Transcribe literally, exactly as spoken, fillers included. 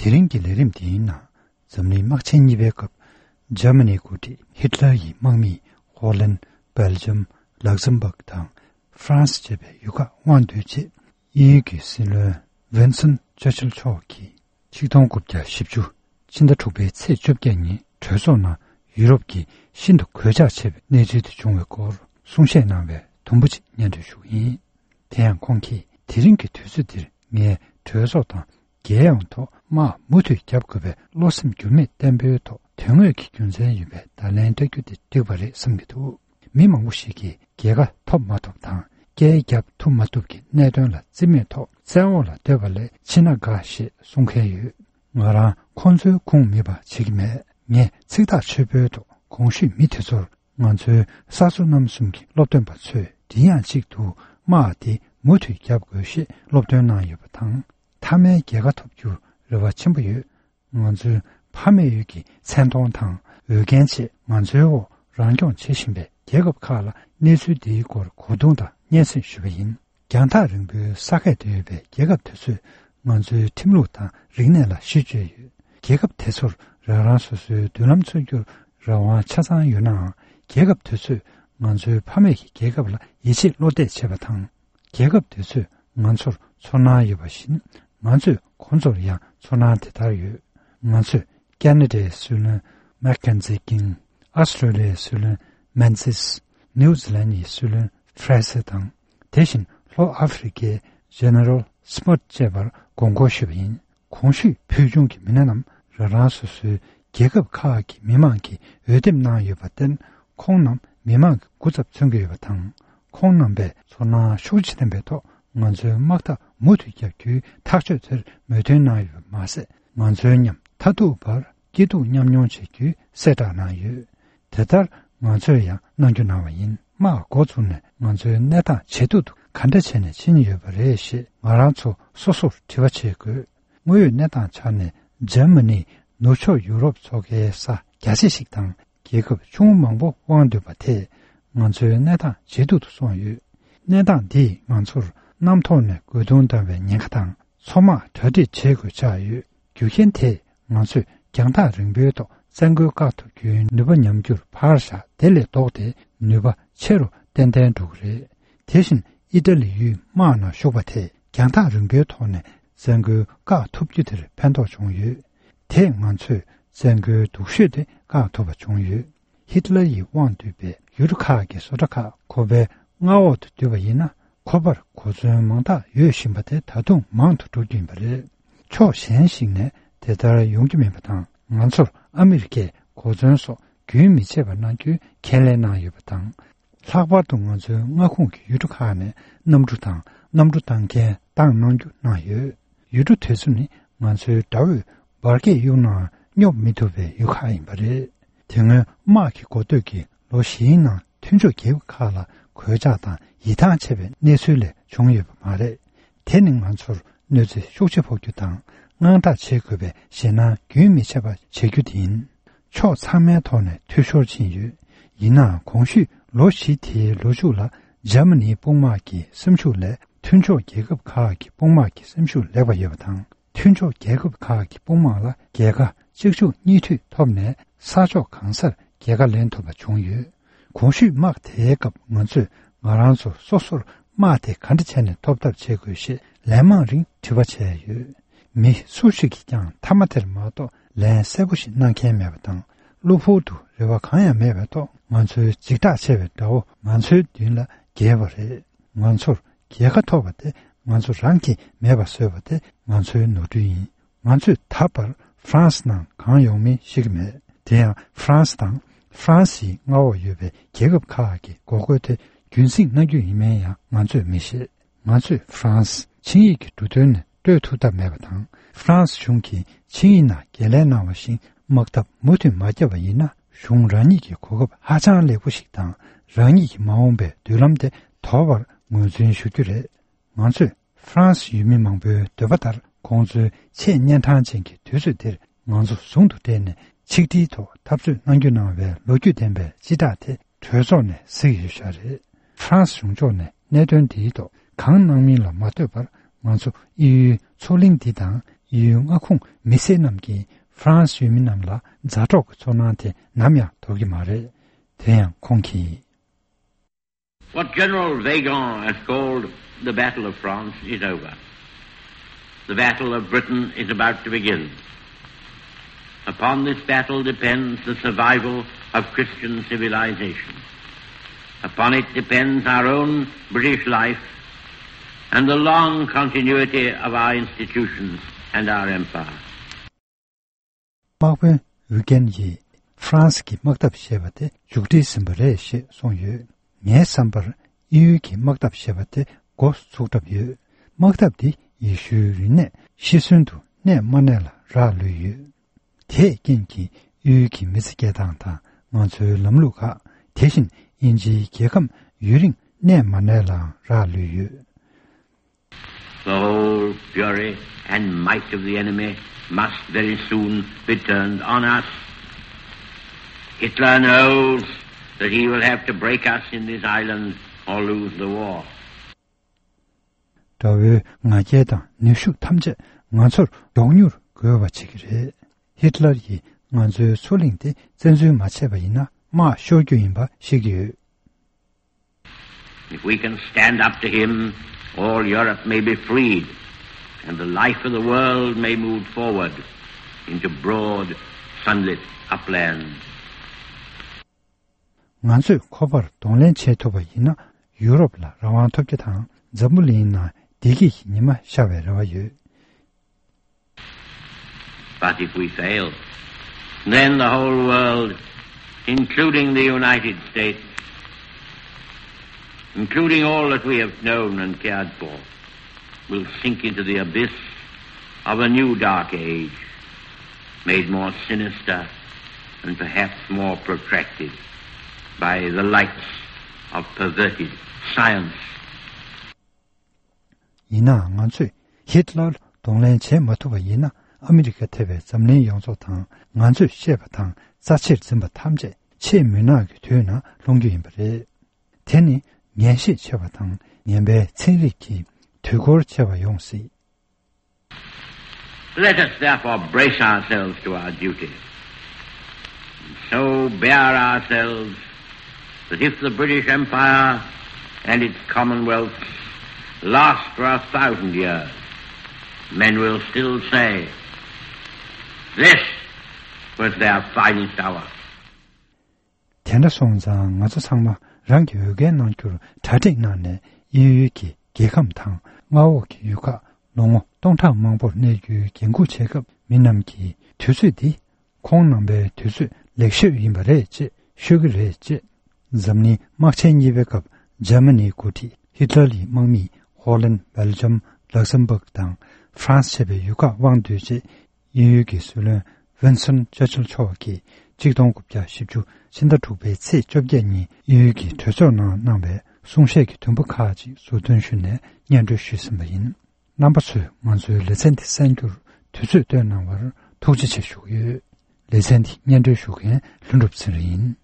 དེ་རིང་གི་ལས་རིམ་འདིའི་ནང་འཛམ་གླིང་དམག་ཆེན་གཉིས་པའི་སྐབས། འཇར་མ་ནིའི་འགོ་ཁྲིད་ཧིཊ་ལར་ཡི་དམག་མིས་ཧོ་ལན། སྦེལ་ཇམ། ལག་ཟམ་བག་དང་ཧྥ་རན་སི་བཅས་པའི་ཡུལ་ཁག་དབང་བསྡུས་རྗེས། དབྱིན་ཡུལ་གྱི་སྲིད་བློན་ཝིན་སོན་ཆར་ཆིལ་མཆོག་གིས་ཆིག་སྟོང་དགུ་བརྒྱ་བཞི་བཅུ་ཕྱི་ཟླ་དྲུག་པའི་ཚེས་བཅོ་བརྒྱད་ཉིན་གྲོས་ཚོགས་ནང་ཡུ་རོབ་ཀྱི་ཤིན་ཏུ་གོད་ཆག་ཆེ་བའི་གནས་ཚུལ་དེ་བྱུང་བའི་སྐོར་གསུང་བཤད་གནང་བའི་དུམ་བུ་གཅིག་སྙན་སྒྲོན་ཞུ་གི་ཡིན། དེ་ཡང་ཁོང་གིས། དེ་རིང་གི་དུས་ཚོད་འདིར་ངས་གྲོས་ཚོགས་དང་རྒྱལ་ཡོངས་ཐོག་དམག་མུ་མཐུད་བརྒྱབ་དགོས་པའི་བློ་སེམས་འགྱུར་མེད་བརྟན་པོའི་ཐོག་དོན་དངོས་ཀྱི་རྒྱུ་མཚན་ཡོད་པའི་བརྡ་ལན་སྤྲད་རྒྱུ་དེ་འགྲིག་པ་རེད་བསམ་གྱི་འདུག། མི་མང་པོ་ཞིག་གིས་རྒྱལ་ཁ་ཐོབ་མ་ཐོབ་དང་། རྐྱལ་རྒྱབ་ཐུབ་མ་ཐུབ་ཀྱི་གནད་དོན་ལ་རྩིས་མེད་ཐོག་བཙན་འོག་ལ་སྡོད་པ་ལས་འཆི་ན་དགའ་ཞེས་གསུང་མཁན་ཡོད། ང་རང་ཁོང་ཚོའི་ཁུངས་མེད་པ་བྱེད་ཀྱི་མེད། ངས་ཚིག་ཐག་ཆོད་པོའི་ཐོག་གོང་ཞུས་མི་དེ་ཚོར། ང་ཚོའི་གསར་བཟོ་རྣམ་གསུམ་གྱི་སློབ་སྟོན་པ་ཚོས་མགྲིན་དབྱངས་གཅིག་ཏུ་དམག་དེ་མུ་མཐུད་བརྒྱབ་དགོས་ཞེས་སློབ་སྟོན་གནང་ཡོད་པ་དང་། མཐའ་མའི་རྒྱལ་ཁ་ཐོབ་རྒྱུར་རེ་བ་ཆེན་པོ་ཡོད། ང་ཚོའི་ཕ་མེས་ཡུལ་གྱི་མཚན་མཐོང་དང་འོས་འགན་ཆེད་ང་ཚོའི་འོག་རང་སྐྱོང་བྱེད་བཞིན་པའི་རྒྱལ་ཁབ་ཁག་ལ་གནས་ཚུལ་འདིའི་སྐོར་གོ་བསྡུར་དང་སྙན་སེང་ཞུས་པ་ཡིན། རྒྱང་ཐག་རིང་པོའི་ས་ཁད་དུ་ཡོད་པའི་རྒྱལ་ཁབ་དེ་ཚོས་ང་ཚོའི་ཁྲིམས་ལུགས་དང་རིག་གནས་ལ་གཞི་བཅོལ་ཡོད། རྒྱལ་ཁབ་དེ་ཚོར་རང་རང་སོ་སོའི་མདུན་ལམ་འཚོལ་རྒྱུར་རང་དབང་ཆ་ཚང་ཡོད་ནའང་། རྒྱལ་ཁབ་དེ་ཚོས་ང་ཚོའི་ཕ་མེས་ཀྱི་རྒྱལ་ཁབ་ལ་ཡིད་ཆེས་བློ་གཏད་བྱེད་པ་དང་། རྒྱལ་ཁབ་དེ་ཚོས་ང་ཚོར་ཚོར་སྣང་ཡོད་པ་བཞིན། ང་ཚོས་ཁོང་ཚོར་ཡང་ཚོར་སྣང་དེ་ལྟར་ཡོད། ང་ཚོས་ཀ་ན་ཌའི་སྲིད་བློན་མེག་ཀེན་ཛི་ཀིང་། ཨ་སི་ཀྲོ་ལི་ཡའི་སྲིད་བློན་མན་སིས། ནིའུ་ཛི་ལན་ཡི་སྲིད་བློན་ཧྥ་རེ་སི་དང་། དེ་བཞིན་ལྷོ་ཨ་ཧྥེ་རི་ཀའི་ཇེ་ནེ་རལ་སི་མོད་བཅས་པར་དགོངས་སྐོར་ཞུས་པ་ཡིན། གོང་ཞུས་ཕུལ་བྱུང་གི་མི་སྣ་རྣམས་རང་རང་སོ་སོའི་རྒྱལ་ཁབ་ཁག་གི་མི་མང་གིས་འོས་འདེམས་གནང་ཡོད་པར་བརྟེན། ཁོང་རྣམས་མི་མང་གི་སྐུ་ཚབ་མཚོན་གྱི་ཡོད་པ་དང་། ཁོང་རྣམ་པས་ཚོར་སྣང་ཤུགས་ཆེ་ལྡན་པའི་ཐོག་ང་ཚོའི་དམག་འཐབ་མུ་མཐུད་བརྒྱབ་རྒྱུའི་ཐག་གཅོད་དེར་མོས་མཐུན་གནང་ཡོད་པ་མ་ཟད། ང་ཚོའི་མཉམ་མཐའ་ཐུག་པར་སྐྱིད་སྡུག་མཉམ་མྱོང་བྱེད་རྒྱུའི་གསལ་བསྒྲགས་གནང་ཡོད། དེ་ལྟར་ང་ཚོས་ཡང་གནང་རྒྱུ་གནང་བ་ཡིན། དམག་འགོ་བཙུགས་ནས་ང་ཚོའི་གནས་སྟངས་ཇེ་སྡུག་ཏུ་ག་འདྲ་བྱས་ནས་ཕྱིན་ཡོད་པ་རེད་ཞེས་ང་རང་ཚོ་སོ་སོར་དྲི་བ་བྱེད་དགོས། དངོས་ཡོད་གནས་སྟངས་ཆ་ནས་འཇར་མ་ནི་ནུབ་ཕྱོགས་ཡུ་རོབ་ཚོ་ཁའི་ས་རྒྱ་ཆེ་ཞིག་དང་། རྒྱལ་ཁབ་ཆུང་ངུ་མང་པོ་དབང་འདུས་པ་དེས་ང་ཚོའི་གནས་སྟངས་ཇེ་སྡུག་ཏུ་སོང་ཡོད། གནས་སྟངས་འདིས་ང་ཚོར་གནམ་ཐོག་ནས་རྒོལ་རྡུང་བཏང་བའི་ཉེན་ཁ་དང་། མཚོ་དམག་གྲ་སྒྲིག་བྱེད་དགོས་ཆགས་ཡོད། རྒྱུ་རྐྱེན་དེས་ང་ཚོས་རྒྱང་ཐག་རིང་པོའི་ཐོག་བཙན་རྒོལ་བཀག་ཐུབ་རྒྱུའི་ནུས་པ་ཉམས་རྒྱུར་ཕར་བཞག་དེ་ལས་ལྡོག་སྟེ་ནུས་པ་ཆེ་རུ་ཏན་ཏན་འགྲོ་གི་རེད། དེ་བཞིན་ཨི་ཏ་ལི་ཡུལ་དམག་ནང་ཞུགས་པ་དེས་རྒྱང་ཐག་རིང་པོའི་ཐོག་ནས་བཙན་རྒོལ་བཀག་ཐུབ་རྒྱུ་དེར་ཕན་ཐོགས་བྱུང་ཡོད། དེས་ང་ཚོས་བཙན་རྒོལ་སྡུག་ཤོས་དེ་བཀག་ཐུབ་པ་བྱུང་ཡོད། ཧིཊ་ལར་ཡིས་དབང་བསྡུས་པའི་ཡུལ་གྲུ་ཁག་གི་བཟོ་གྲྭ་ཁག་ཁོ་པའི་མངའ་འོག་ཏུ་བསྡུས་པ་ཡིན་ན། ཁོ་པར་གོ་མཚོན་མང་དག་ཡོད་བཞིན་པ་དེ་ད་དུང་མང་དུ་འགྲོ་རྒྱུ་ཡིན་པ་རེད། ཕྱོགས་གཞན་ཞིག་ནས་དེ་ལྟར་ཡོང་རྒྱུ་མིན་པ་དང་། ང་ཚོར་ཨ་མི་རི་ཀས་གོ་མཚོན་སོགས་རྒྱུན་མི་ཆད་པར་གནང་རྒྱུའི་ཁས་ལེན་གནང་ཡོད་པ་དང་། ལྷག་པར་དུ་ང་ཚོའི་མངའ་ཁོངས་ཀྱི་ཡུལ་གྲུ་ཁག་ནས་གནམ་གྲུ་དང་གནམ་གྲུ་བཏང་མཁན་བཏང་གནང་རྒྱུ་གནང་ཡོད། ཡུལ་གྲུ་དེ་ཚོ་ནི་ང་ཚོའི་དགྲ་བོས་འབར་གས་གཡུག་ནའང་སྙོབ་མི་ཐུབ་པའི་ཡུལ་ཁག་ཡིན་པ་རེད། དེ་སྔོན་དམག་གི་འགོ་སྟོད་ཀྱི་ལོ་བཞིའི་ནང་མཐུན་ཕྱོགས་རྒྱལ་ཁབ་ཁག་ལ་གོད་ཆག་དང་ཡིད་ཐང་ཆད་པའི་གནས་ཚུལ་ལས་བྱུང་ཡོད་པ་མ་རེད། དེ་ནི་ང་ཚོར་གནོད་འཚེ་ཤུགས་ཆེ་ཕོག་རྒྱུ་དང་དངངས་སྐྲག་བྱེད་དགོས་པའི་ཞེད་སྣང་རྒྱུན་མི་ཆད་པ་བྱེད་རྒྱུ་དེ་ཡིན། ཕྱོགས་ཚང་མའི་ཐོག་ནས་འཐུས་ཤོར་ཕྱིན་ཡོད། ཡིན་ནའང་གོང་ཞུས་ལོ་བཞི་དེའི་ལོ་མཇུག་ལ་འཇར་མ་ནིའི་དཔུང་དམག་གི་སེམས་ཤུགས་ལས་མཐུན་ཕྱོགས་རྒྱལ་ཁབ་ཁག་གི་དཔུང་དམག་གི་སེམས་ཤུགས་ལེགས་པ་ཡོད་པ་དང་། མཐུན་ཕྱོགས་རྒྱལ་ཁབ་ཁག་གི་དཔུང་དམག་ལ་རྒྱལ་ཁ་གཅིག་མཇུག་གཉིས་མཐུད་ཐོབ་ནས་ས་ཕྱོགས་གང་སར་རྒྱལ་ཁ་ལེན་ཐུབ་པ་བྱུང་ཡོད། གོང་ཞུས་དམག་དེའི་སྐབས་ང་ཚོས་ང་རང་ཚོ་སོ་སོར་དམག་དེ་ག་འདྲ་བྱས་ནས་ཐོབ་ཐབས་བྱེད་དགོས་ཞེས་ལན་མང་རིང་དྲི་བ་བྱས་ཡོད། མི་སུ་ཞིག་གིས་ཀྱང་མཐའ་མ་དེར་མ་གཏོགས་ལན་གསལ་པོ་ཞིག་གནང་མཁན་མེད་པ་དང་། གློ་བུར་དུ་རེ་བ་གང་ཡང་མེད་པའི་ཐོག་ང་ཚོའི་འཇིགས་སྐྲག་ཆེ་བའི་དགྲ་བོ་ང་ཚོའི་མདུན་ལ་འགྱེལ་བ་རེད། ང་ཚོར་རྒྱལ་ཁ་ཐོབ་པ་དེ་ང་ཚོ་རང་གིས་མེད་པ་བཟོས་པ་དེ་ང་ཚོའི་ནོར་འཁྲུལ་ཡིན། ང་ཚོས་ད་བར་ཧྥ་རན་སི་ནང་གང་ཡོང་མིན་ཤེས་ཀྱི་མེད། དེ་ཡང་ཧྥ་རན་སི་དང་ཧྥ་རན་སིའི་མངའ་འོག་ཡོད་པའི་རྒྱལ་ཁབ་ཁག་གི་འགོག་རྒོལ་དེ་རྒྱུན་སྲིང་གནང་རྒྱུ་ཡིན་མིན་ཡང་ང་ཚོས་མི་ཤེས། ང་ཚོས་ཧྥ་རན་སི་ཆིངས་ཡིག་གི་འབྲུ་དོན་ནས་སྤྲོད་ཐུབ་ཐབས་མེད་པ་དང་། ཧྥ་རན་སི་གཞུང་གིས་ཆིངས་ཡིག་ནང་འགན་ལེན་གནང་བ་བཞིན་དམག་འཐབ་མུ་མཐུད་མ་བརྒྱབ་པ་ཡིན་ན། གཞུང་རང་ཉིད་ཀྱི་གོ་སྐབས་ཧ་ཅང་ལེགས་པོ་ཞིག་དང་། རང་ཉིད་ཀྱི་མ་འོངས་པའི་མདུན་ལམ་དེ་དོར་བར་ངོས་འཛིན་ཞུ་རྒྱུ་རེད། ང་ཚོས་ཧྥ་རན་སི་ཡུལ་མི་མང་པོའི་འདོད་པ་ལྟར། ཁོང་ཚོའི་ཆེས་གཉན་འཕྲང་ཅན་གྱི་དུས་ཚོད་འདིར་ང་ཚོ་ཟུང་དུ་འབྲེལ་ནས་ཆིག་སྒྲིལ་ཐོག་འཐབ་རྩོད་གནང་རྒྱུ་གནང་བའི་ལོ་རྒྱུས་ལྡན་པའི་སྤྱི་བསྒྲགས་དེ་གྲོས་ཚོགས་ནས་གཟིགས་ཡོད་ཤག་རེད། ཧྥ་རན་སི་གཞུང་ཕྱོགས་ནས་གནད་དོན་འདིའི་ཐོག་གང་གནང་མིན་ལ་མ་ལྟོས་པར། ང་ཚོ་དབྱིན་ཡུལ་མཚོ་གླིང་འདི་དང་ ཡུལ་མངའ་ཁོངས་མི་སེར་རྣམས་ཀྱིས་ཧྥ་རན་སི་ཡུལ་མི་རྣམས་ལ་མཛའ་གྲོགས་ཀྱི་ཚོར་སྣང་དེ་ནམ་ཡང་དོར་གྱི་མ་རེད། དེ་ཡང་ཁོང་གིས། What General Weygand has called the Battle of France is over. The Battle of Britain is about to begin. Upon this battle depends the survival of Christian civilization. Upon it depends our own British life and the long continuity of our institutions and our empire. དམག་དཔོན་ཝི་ཀན་ཡིས་ཧྥ་རན་སི་གི་དམག་འཐབ་ཞེས་པ་དེ་མཇུག་སྒྲིལ་ཟིན་པ་རེད་ཞེས་གསུངས་ཡོད། ངའི་བསམ་པར་ཨི་ཡུལ་གྱི་དམག་འཐབ་ཞེས་པ་དེ་འགོ་ཚུགས་གྲབས་ཡོད། དམག་འཐབ་འདི་ཡེ་ཤུའི་རིག་གནས་ཤི་གསོན་དུ་གནས་མ་གནས་ལ་རག་ལུས་ཡོད། དེས་རྐྱེན་གྱིས་ཨི་ཡུལ་གྱི་མི་ཚེ་སྐྱེལ་སྟངས་དང་ང་ཚོའི་ལམ་ལུགས་ཁག་དེ་བཞིན་དབྱིན་ཇིའི་རྒྱལ་ཁམས་ཡུན་རིང་གནས་མ་གནས་ལའང་རག་ལུས་ཡོད། The whole fury and might of the enemy must very soon be turned on us. Hitler knows that he will have to break us in this island or lose the war. དགྲ་བོའི་ང་རྒྱལ་དང་ནུས་ཤུགས་ཐམས་ཅད་ང་ཚོར་མགྱོགས་མྱུར་རྒོལ་བ་བྱེད་ཀྱི་རེད། ཧིཊ་ལར་ཡིས་ང་ཚོའི་མཚོ་གླིང་དེ་བཙན་འཛུལ་མ་བྱས་པ་ཡིན་ན་དམག་ཤོར་རྒྱུ་ཡིན་པ་ཤེས་ཀྱི་ཡོད། If we can stand up to him, all Europe may be freed, and the life of the world may move forward into broad, sunlit uplands. ང་ཚོས་ཁོ་པར་གདོང་ལེན་བྱེད་ཐུབ་པ་ཡིན་ན། ཡུ་རོབ་ལ་རང་དབང་ཐོབ་རྒྱུ་དང་། འཛམ་བུ་གླིང་ནང་བདེ་སྐྱིད་ཀྱི་ཉི་མ་ཤར་བའི་རེ་བ་ཡོད། But if we fail, then the whole world, including the United States, including all that we have known and cared for, will sink into the abyss of a new dark age, made more sinister and perhaps more protracted by the lights of perverted science. ཡིན་ནའང་ང་ཚོས་ཧིཊ་ལར་གདོང་ལེན་བྱེད་མ་ཐུབ་པ་ཡིན་ན། ཨ་མི་རི་ཀ་ཐེ་བའི་འཛམ་གླིང་ཡོངས་རྫོགས་དང་ང་ཚོས་བཤད་པ་དང་རྩ་ཆེར་འཛིན་པ་ཐམས་ཅད་ཆེས་མུན་ནག་གི་དུས་ནང་ལྷུང་རྒྱུ་ཡིན་པ་རེད། དེ་ནི་ངན་ཤེས་ཆེ་བ་དང་ངན་པའི་ཚན་རིག་གིས་དུས་འཁོར་ཆེ་བ་ཡོང་སྲིད། Let us therefore brace ourselves to our duty, and so bear ourselves that if the British Empire and its Commonwealths last for a thousand years, men will still say, "This was their finest hour." དེ་འདྲ་སོང་ཙང་ང་ཚོ་ཚང་མ་རང་གི་འོས་འགན་གནང་རྒྱུར་གྲ་སྒྲིག་གནང་ནས། དབྱིན་ཡུལ་གྱི་རྒྱལ་ཁམས་དང་མངའ་འོག་གི་ཡུལ་ཁག་ལོ་ངོ་སྟོང་ཕྲག་མང་པོར་གནས་རྒྱུའི་འགན་འཁུར་བྱེད་སྐབས། མི་རྣམས་ཀྱིས་དུས་ཚོད་འདི་ཁོང་རྣམ་པའི་དུས་ཚོད་ལེགས་ཤོས་ཡིན་པ་རེད་ཅེས་ཤོད་ཀྱི་རེད་ཅེས། འཛམ་གླིང་དམག་ཆེན་གཉིས་པའི་སྐབས་འཇར་མ་ནིའི་འགོ་ཁྲིད་ཧིཊ་ལར་ཡི་དམག་མིས་ཧོ་ལན། སྦེལ་ཇམ། ལག་སམ་བྷག་དང་ཧྥ་རན་སི་བཅས་པའི་ཡུལ་ཁག་དབང་བསྡུས་རྗེས། དབྱིན་ཡུལ་གྱི་སྲིད་བློན་ཝིན་སྟོན་ཅར་ཆིལ་མཆོག་གིས་ཆིག་སྟོང་དགུ་བརྒྱ་བཞི་བཅུ་ཕྱི་ཟླ་དྲུག་པའི་ཚེས་བཅོ་བརྒྱད་ཉིན་དབྱིན་ཡུལ་གྱི་གྲོས་ཚོགས་ནང་གནང་བའི་གསུང་བཤད་ཀྱི་དུམ་བུ་ཁག་ཅིག་ཟུར་འདོན་ཞུས་ནས་སྙན་སྒྲོན་ཞུས་ཟིན་པ་ཡིན། རྣམ་པ་ཚོས་ང་ཚོའི་ལེ་ཚན་འདི་གསན་རྒྱུར་དུས་ཚོད་བཏོན་གནང་བར་ཐུགས་རྗེ་ཆེ་ཞུ་གི་ཡོད། ལེ་ཚན་འདི་སྙན་སྒྲོན་ཞུ་མཁན་ལྷུན་གྲུབ་ཚེ་རིང་ཡིན།